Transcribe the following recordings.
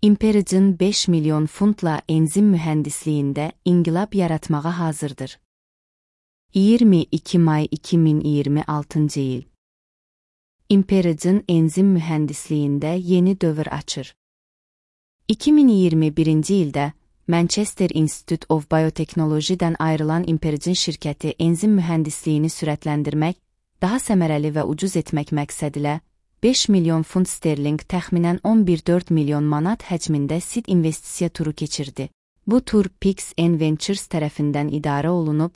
Imperigin 5 milyon funtla enzim mühəndisliyində inqilab yaratmağa hazırdır. 22 may 2026 il. Imperigin enzim mühəndisliyində yeni dövr açır. 2021-ci ildə Manchester Institute of Biotechnology'dən ayrılan Imperigin şirkəti enzim mühəndisliyini sürətləndirmək, daha səmərəli və ucuz etmək məqsədilə 5 milyon funt sterling təxminən 11,4 milyon manat həcmində seed investisiya turu keçirdi. Bu tur Pix&N Ventures tərəfindən idarə olunub,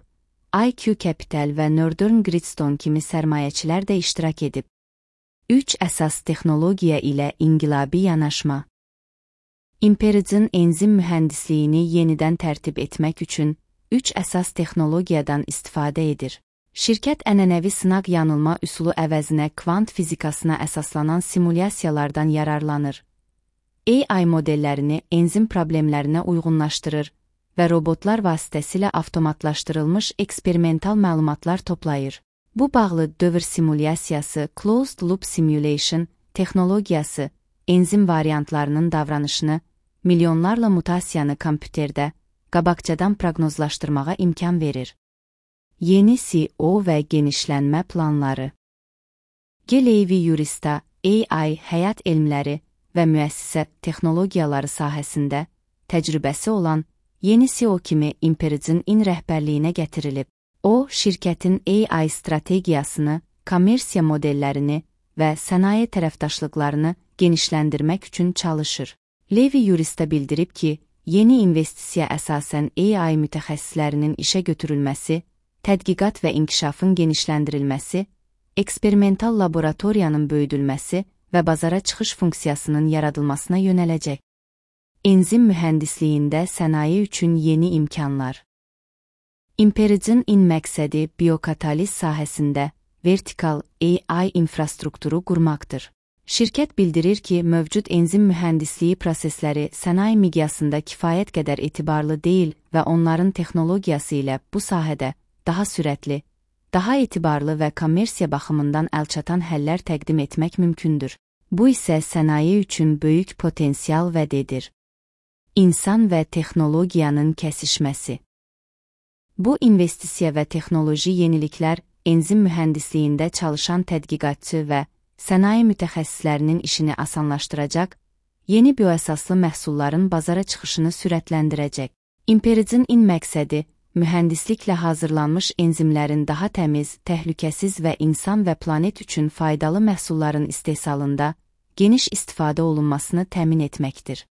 IQ Capital və Northern Gridstone kimi sərmayəçilər də iştirak edib. 3 əsas texnologiya ilə inqilabi yanaşma. Imperigin enzim mühəndisliyini yenidən tərtib etmək üçün 3 əsas texnologiyadan istifadə edir. Şirkət ənənəvi sınaq-yanılma üsulu əvəzinə kvant fizikasına əsaslanan simulyasiyalardan yararlanır. AI modellərini enzim problemlərinə uyğunlaşdırır və robotlar vasitəsilə avtomatlaşdırılmış eksperimental məlumatlar toplayır. Bu bağlı dövr simulyasiyası Closed Loop Simulation texnologiyası enzim variantlarının davranışını, milyonlarla mutasiyanı kompüterdə qabaqcadan proqnozlaşdırmağa imkan verir. Yeni CEO və genişlənmə planları. Levi Yurista AI, həyat elmləri və müəssisə texnologiyaları sahəsində təcrübəsi olan yeni CEO kimi Imperigin rəhbərliyinə gətirilib. O, şirkətin AI strategiyasını, kommersiya modellərini və sənaye tərəfdaşlıqlarını genişləndirmək üçün çalışır. Levi Yurista bildirib ki, yeni investisiya əsasən AI mütəxəssislərinin işə götürülməsi, tədqiqat və inkişafın genişləndirilməsi, eksperimental laboratoriyanın böyüdülməsi və bazara çıxış funksiyasının yaradılmasına yönələcək. Enzim mühəndisliyində sənaye üçün yeni imkanlar. Imperigin məqsədi biokataliz sahəsində vertikal AI infrastrukturu qurmaqdır. Şirkət bildirir ki, mövcud enzim mühəndisliyi prosesləri sənaye miqyasında kifayət qədər etibarlı deyil və onların texnologiyası ilə bu sahədə daha sürətli, daha etibarlı və kommersiya baxımından əlçatan həllər təqdim etmək mümkündür. Bu isə sənaye üçün böyük potensial vəd edir. İnsan və texnologiyanın kəsişməsi. Bu investisiya və texnoloji yeniliklər enzim mühəndisliyində çalışan tədqiqatçı və sənaye mütəxəssislərinin işini asanlaşdıracaq, yeni bioəsaslı məhsulların bazara çıxışını sürətləndirəcək. Imperigin məqsədi mühəndisliklə hazırlanmış enzimlərin daha təmiz, təhlükəsiz və insan və planet üçün faydalı məhsulların istehsalında geniş istifadə olunmasını təmin etməkdir.